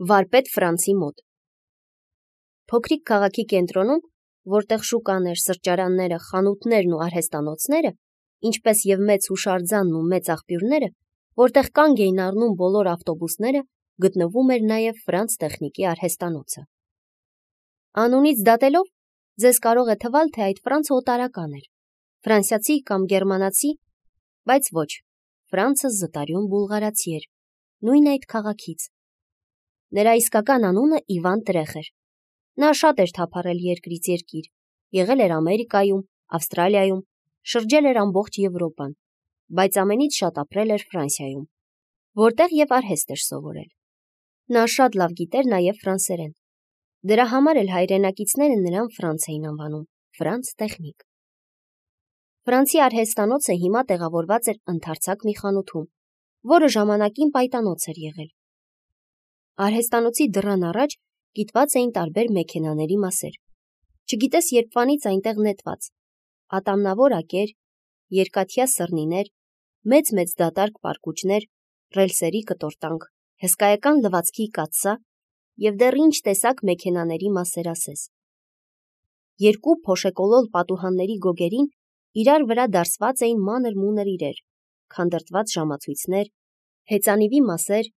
Վարպետ Ֆրանցի մոտ։ Փոքրիկ քաղաքի կենտրոնում, որտեղ շուկաներ, սրճարանները, խանութներն ու արհեստանոցները, ինչպես եւ մեծ հուշարձանն ու մեծ աղբյուրները, որտեղ կանգ էին առնում բոլոր ավտոբուսները, գտնվում էր նաեւ Ֆրանց տեխնիկի արհեստանոցը։ Անունից դատելով, ձեզ կարող է թվալ, թե այդ Ֆրանցը օտարական էր, ֆրանսիացի կամ գերմանացի, բայց ոչ, Ֆրանցը զտարյուն բուլղարացի էր, նույն այդ քաղաքից։ Նրա իսկական անունը Իվան Տրեխ էր։ Նա շատ էր թափառել երկրից երկիր, եղել էր Ամերիկայում, Ավստրալիայում, շրջել էր ամբողջ Եվրոպան, բայց ամենից շատ ապրել էր Ֆրանսիայում, որտեղ եւ արհեստ էր սովորել։ Նա շատ լավ գիտեր նաեւ ֆրանսերեն։ Դրա համար էլ հայրենակիցները նրան Ֆրանց էին անվանում, Ֆրանց տեխնիկ։ Ֆրանսի արհեստանոցը հիմա տեղավորված էր ընդարձակ մի խանութում, որը ժամանակին պայտանոց էր եղել։ Արհեստանոցի դռան առաջ գիտված էին տարբեր մեքենաների մասեր։ Չգիտես երբվանից այնտեղ նետված, ատամնավոր ակեր, երկաթյա սռնիներ, մեծ դատարկ պարկուճներ, ռելսերի կտորտանք, հսկայական լվացքի կաթսա եւ դեռ ինչ տեսակ մեքենաների մասեր ասես։ Երկու փոշեկոլոլ պատուհանների գոգերին իրար վրա դարսված էին մանր-մունր իրեր, քանդրտված ժամացույցներ, հեծանիվի մասեր,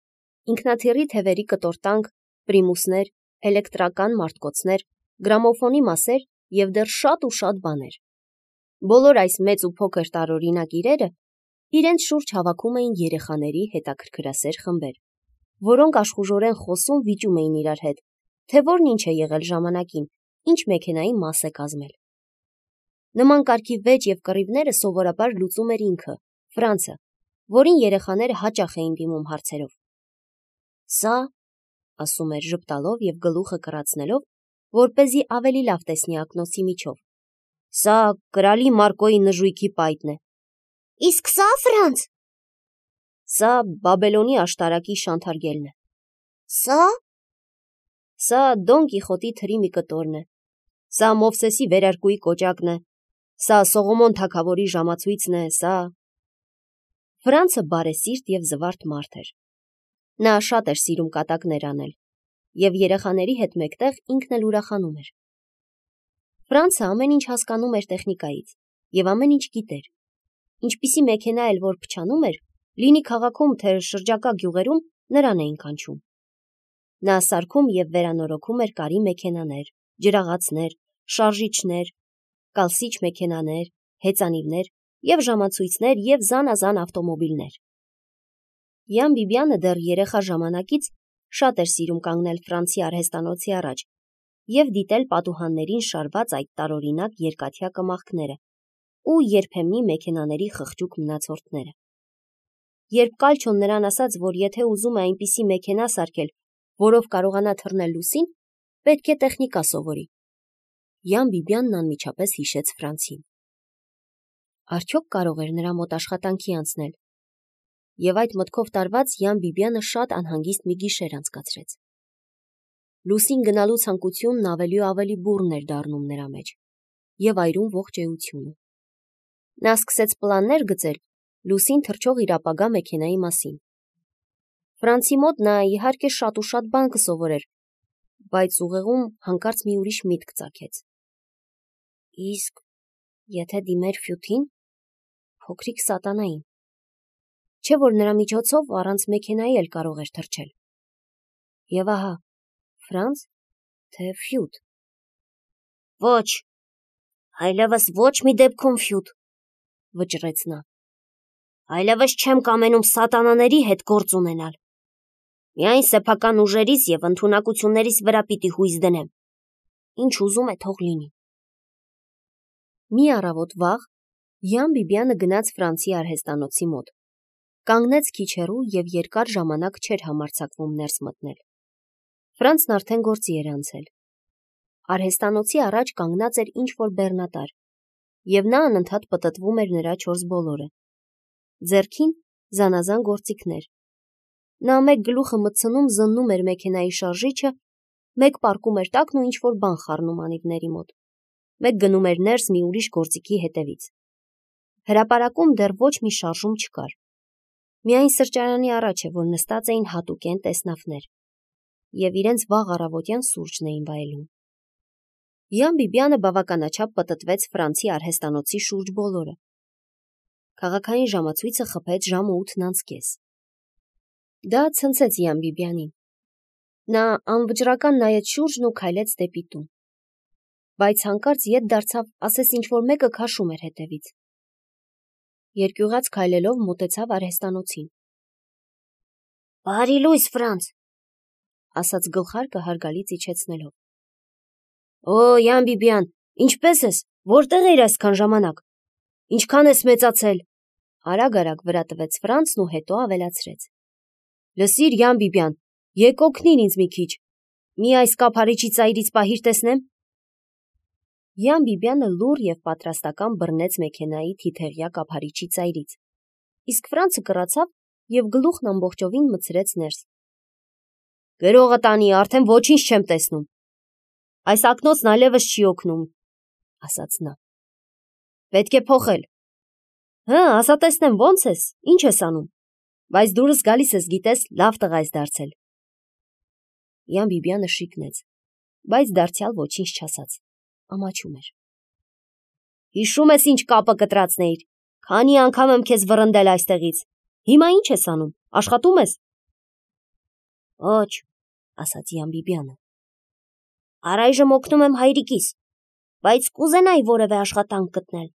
ինքնաթիռի թևերի կտորտանք, պրիմուսներ, էլեկտրական մարտկոցներ, գրամոֆոնի մասեր եւ դեռ շատ ու շատ բաներ։ Բոլոր այս մեծ ու փոքր տարօրինակ իրերը իրենց շուրջ հավաքում էին երեխաների հետաքրքրասեր խմբեր, որոնք աշխուժորեն խոսում վիճում էին իրար հետ, թե որն ինչ է եղել ժամանակին, ինչ մեքենայի մաս է կազմել։ Նման կարգի վեճ եւ կռիվները սովորաբար լուծում էր ինքը, Ֆրանցը, որին երեխաները հաճախ էին դիմում հարցերով։ Սա, ասում էր ժպտալով եւ գլուխը կռացնելով, որպեսզի ավելի լավ տեսնի ակնոցի միջով։ Սա կրալի Մարկոյի նժույգի պայտն է։ Իսկ սա Ֆրանց։ Սա Բաբելոնի աշտարակի շանթարգելն է։ Սա Դոն Կիխոտի թրի մի կտորն է։ Սա Մովսեսի վերարկուի կոճակն է։ Սա Սողոմոն թագավորի ժամացույցն է, սա… Ֆրանցը բարեսիրտ եւ զվարթ մարդ էր։ Նա շատ էր սիրում կատակներ անել, եւ երեխաների հետ մեկտեղ ինքն էլ ուրախանում էր։ Ֆրանցը ամեն ինչ հասկանում էր տեխնիկայից եւ ամեն ինչ գիտեր։ Ինչպիսի մեքենա էլ որ փչանում էր, լինի քաղաքում թե շրջակա գյուղերում, նրան էին կանչում։ Նա սարքում եւ վերանորոգում էր կարի մեքենաներ, ջրաղացներ, շարժիչներ, կալսիչ մեքենաներ, հեծանիվներ եւ ժամացույցներ եւ զանազան ավտոմոբիլներ։ Յան Բիբյանը դեռ երեխա ժամանակից շատ էր սիրում կանգնել Ֆրանսի արհեստանոցի առաջ եւ դիտել պատուհաններին շարված այդ տարօրինակ երկաթյա կմախքները ու երբեմնի մեքենաների խղճուկ մնացորդները։ Երբ Կալչոն նրան ասաց, որ եթե ուզում է այնպիսի մեքենա սարքել, որով կարողանա թռնել լուսին, պետք է տեխնիկա սովորի, Յան Բիբյանն անմիջապես հիշեց Ֆրանցին։ Արդյոք կարող էր նրա մոտ աշխատանքի անցնել։ Եվ այդ մտքով տարված Յան Բիբյանը շատ անհանգիստ մի գիշեր անցկացրեց։ Լուսին գնալու ցանկությունն ավելի ու ավելի բուռն էր դառնում նրա մեջ եւ այրում ողջ էությունը։ Նա սկսեց պլաններ գծել լուսին թռչող իր ապագա մեքենայի մասին։ Ֆրանցի մոտ նա իհարկե շատ ու շատ բան կսովորեր, բայց ուղեղում հանկարծ մի ուրիշ միտք ծագեց։ Իսկ եթե դիմեր Ֆյութին, փոքրիկ սատանային, չէ՞ որ նրա միջոցով առանց մեքենայի էլ կարող էր թռչել։ Եվ ահա, Ֆրանց, թե Ֆյութ։ Ոչ, այլևս ոչ մի դեպքում Ֆյութ, վճռեց նա։ Այլևս չեմ կամենում սատանաների հետ գործ ունենալ։ Միայն սեփական ուժերիս եւ ընդունակություններիս վրա պիտի հույս դնեմ։ Ինչ ուզում է թող լինի։ Մի առավոտ վաղ Յան Բիբյանը գնաց Ֆրանցի արհեստանոցի մոտ, կանգնեց քիչ հեռու եւ երկար ժամանակ չէր համարձակվում ներս մտնել։ Ֆրանցն արդեն գործի էր անցել։ Արհեստանոցի առաջ կանգնած էր ինչ-որ բեռնատար, եւ նա անընդհատ պտտվում էր նրա 4 բոլորը։ Ձեռքին զանազան գործիքներ։ Նա մեկ գլուխը մտցնում զննում էր մեքենայի շարժիչը, մեկ պառկում էր տակն ու ինչ-որ բան խառնում անիվների մոտ, մեկ գնում էր ներս մի ուրիշ գործիքի հետևից։ Հրապարակում դեռ ոչ մի շարժում չկար։ Միայն սրճարանի առաջ է, որ նստած էին հատուկեն տեսնավներ։ և իրենց վաղ առավոտյան սուրճն էին վայելում։ Յան Բիբյանը բավականաչափ պտտվեց Ֆրանսի արհեստանոցի շուրջ բոլորը։ Քաղաքային ժամացույցը խփեց ժամը 8:30։ Դա ցնցեց Յան Բիբյանին։ Նա անվճռական նայեց շուրջն ու քայլեց դեպի տուն։ Բայց հանկարծ ետ դարձավ, ասես ինչ-որ մեկը քաշում էր հետևից։ Երկյուղած քայլելով մոտեցավ արհեստանոցին։ «Բարի լույս, Ֆրանց», ասաց գլխարկը հարգալից իջեցնելով։ «Օ, Յան Բիբյան, ինչպե՞ս ես, որտեղ էիր այսքան ժամանակ, ինչքան ես մեծացել», արագ-արագ վրա տվեց Ֆրանցն ու հետո ավելացրեց. «Լսիր, Յան Բիբյան, եկ օգնիր ինձ մի քիչ, մի այս կափարիչի ծայրից պահիր տեսնեմ»։ Յան Բիբյանը լուռ և պատրաստական բռնեց մեքենայի թիթեղյա կափարիչի ծայրից, իսկ Ֆրանցը կռացավ և գլուխն ամբողջովին մտցրեց ներս։ «Գրողը տանի, արդեն ոչինչ չեմ տեսնում։ Այս ակնոցն այլևս չի օգնում», ասաց նա։ «Պետք է փոխել»։ «Հը, ասա տեսնեմ, ո՞նց ես, ինչ ես անում, բայց դուրս գալիս ես, գիտես, լավ տղա ես դարձել»։ Յան Բիբյանը շիկնեց, բայց դարձյալ ոչինչ չասաց, ամաչում էր։ «Հիշում ես ինչ կապը կտրացնեիր, քանի անգամ եմ քեզ վռնդել այստեղից, հիմա ինչ ես անում, աշխատում ես»։ «Ոչ», ասաց Յան Բիբյանը։ «Առայժմ օգնում եմ հայրիկիս, բայց կուզենայի որևէ աշխատանք գտնել,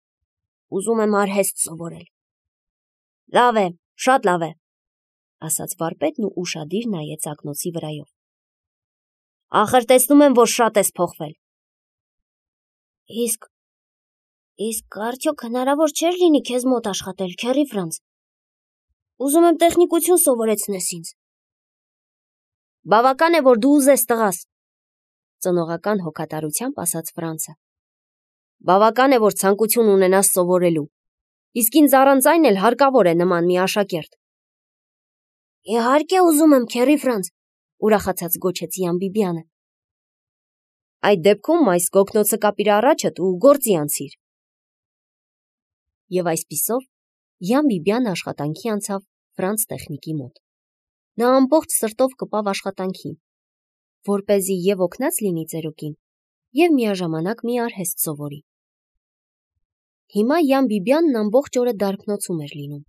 ուզում եմ արհեստ սովորել»։ «Լավ է, շատ լավ է», ասաց վարպետն ու ուշադիր նայեց ակնոցի վրայով։ «Ախր տեսնում եմ, որ շատ ես փոխվել»։ Իսկ արդյոք հնարավոր չէր լինի քեզ մոտ աշխատել, քեռի Ֆրանց։ Ուզում եմ տեխնիկություն սովորեցնես ինձ։ Բավական է, որ դու ուզես, տղաս, ծնողական հոգատարությամբ ասաց Ֆրանցը։ Բավական է, որ ցանկություն ունենաս սովորելու, իսկ ինձ առանց այն էլ հարկավոր է նման մի աշակերտ։ Իհարկե ուզում եմ, քեռի Ֆրանց, ուրախացած գոչեց Յան Բիբյանը։ Այդ դեպքում այս գոգնոցը կապիր առաջդ ու գործի անցիր։ Եվ այսպիսով Յան Բիբյանը աշխատանքի անցավ Ֆրանց տեխնիկի մոտ։ Նա ամբողջ սրտով կպավ աշխատանքին, որպեսզի և օգնած լինի ծերուկին, և միաժամանակ մի արհեստ սովորի։ Հիմա Յան Բիբյանն ամբողջ օրը դարբնոցում էր լինում։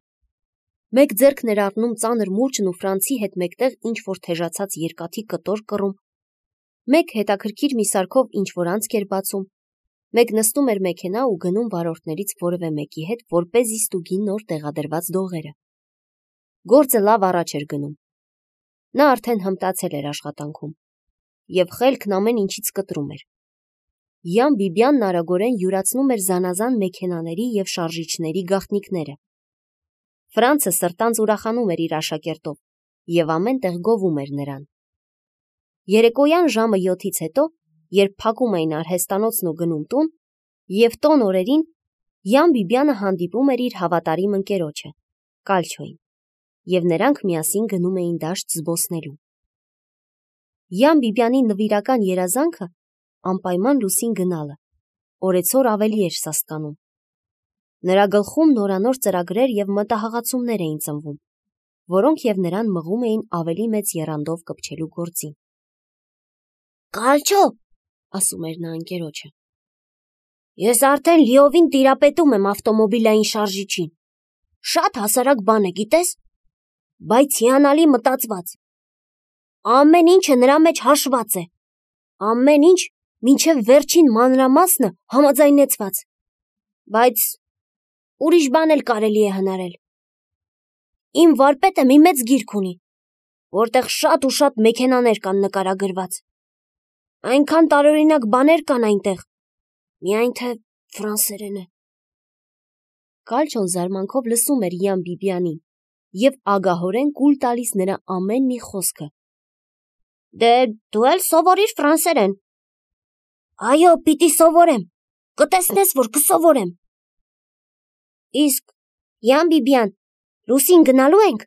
Մեկ ձեռքն էր առնում ծանր մուրճն ու Ֆրանցի հետ մեկտեղ ինչ-որ թեժացած երկաթի կտոր կռում, մեկ հետաքրքիր մի սարքով ինչ-որ անցք էր բացում, մեկ նստում էր մեքենա ու գնում վարորդներից որևէ մեկի հետ, որպեսզի ստուգի նոր տեղադրված դողերը։ Գործը լավ առաջ էր գնում։ Նա արդեն հմտացել էր աշխատանքում, և խելքն ամեն ինչից կտրում էր։ Յան Բիբյանն արագորեն յուրացնում էր զանազան մեքենաների և շարժիչների գաղտնիքները։ Ֆրանցը սրտանց ուրախանում էր իր աշակերտով և ամեն տեղ գովում էր նրան։ Երեկոյան ժամը 7-ից հետո, երբ փակում էին արհեստանոցն ու գնում տուն, և տոն օրերին Յան Բիբյանը հանդիպում էր իր հավատարիմ ընկերոջը, Կալչոին, և նրանք միասին գնում էին դաշտ զբոսնելու։ Յան Բիբյանի նվիրական երազանքը անպայման լուսին գնալը, օրեցօր ավելի էր սաստկանում։ Նրա գլխում նորանոր ծրագրեր և մտահղացումներ էին ծնվում, որոնք և նրան մղում էին ավելի մեծ եռանդով կպչելու գործին։ Կալչո, ասում էր նա ընկերոջը, ես արդեն լիովին տիրապետում եմ ավտոմոբիլային շարժիչին։ Շատ հասարակ բան է, գիտես, բայց հիանալի մտածված։ Ամեն ինչը նրա մեջ հաշված է, ամեն ինչ մինչև վերջին մանրամասնը համաձայնեցված, բայց ուրիշ բան էլ կարելի է հնարել։ Իմ վարպետը մի մեծ գիրք ունի, որտեղ շատ ու շատ մեքենաներ կան նկարագրված։ Այնքան տարօրինակ բաներ կան այնտեղ, միայն թե ֆրանսերեն է։ Կալչոն զարմանքով լսում էր Յան Բիբյանին և ագահորեն կուլ տալիս նրա ամեն մի խոսքը։ Դե դու էլ սովորիր ֆրանսերեն։ Այո, պիտի սովորեմ, կտեսնես, որ կսովորեմ։ Իսկ Յան Բիբյան, Ռուսին գնալու ենք։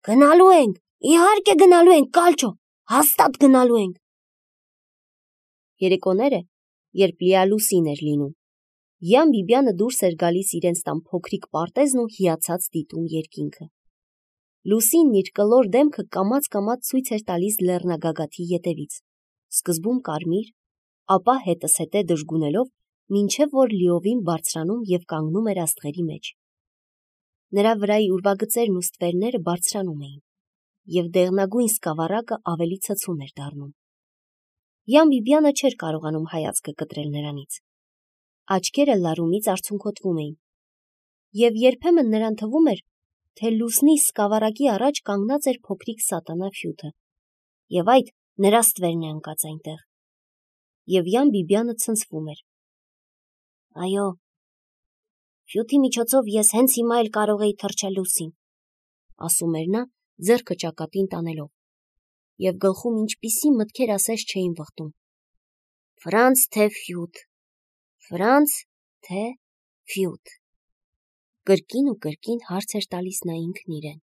Գնալու ենք, իհարկե գնալու ենք, Կալչո, հաստատ գնալու ենք։ Երեկոները, երբ լիալուսին էր լինում, Յան Բիբյանը դուրս էր գալիս իրենց տան փոքրիկ պարտեզն ու հիացած դիտում երկինքը։ Լուսինն իր կլոր դեմքը կամաց-կամաց ցույց էր տալիս լեռնագագաթի ետևից, սկզբում կարմիր, ապա հետզհետե դժգունելով, մինչև որ լիովին բարձրանում և կանգնում էր աստղերի մեջ։ Նրա վրայի ուրվագծերն ու ստվերները բարձրանում էին, և դեղնագույն սկավառակը ավելի ցցուն էր դառնում։ Յան Բիբյանը չէր կարողանում հայացքը կտրել նրանից։ Աչքերը լարումից արցունքոտվում էին, և երբեմն նրան թվում էր, թե լուսնի սկավառակի առաջ կանգնած էր փոքրիկ սատանա Ֆյութը, և այդ նրա ստվերն է ընկած այնտեղ։ Եվ Յան Բիբյանը ցնցվում էր։ Այո, Ֆյութի միջոցով ես հենց հիմա էլ կարող էի թռչել լուսին, ասում էր նա, ձեռքը ճակատին տանելով, և գլխում ինչպիսի մտքեր ասես չէին վխտում։ Ֆրանց թե Ֆյութ, Ֆրանց թե Ֆյութ։ Կրկին ու կրկին հարց էր տալիս նա ինքն իրեն։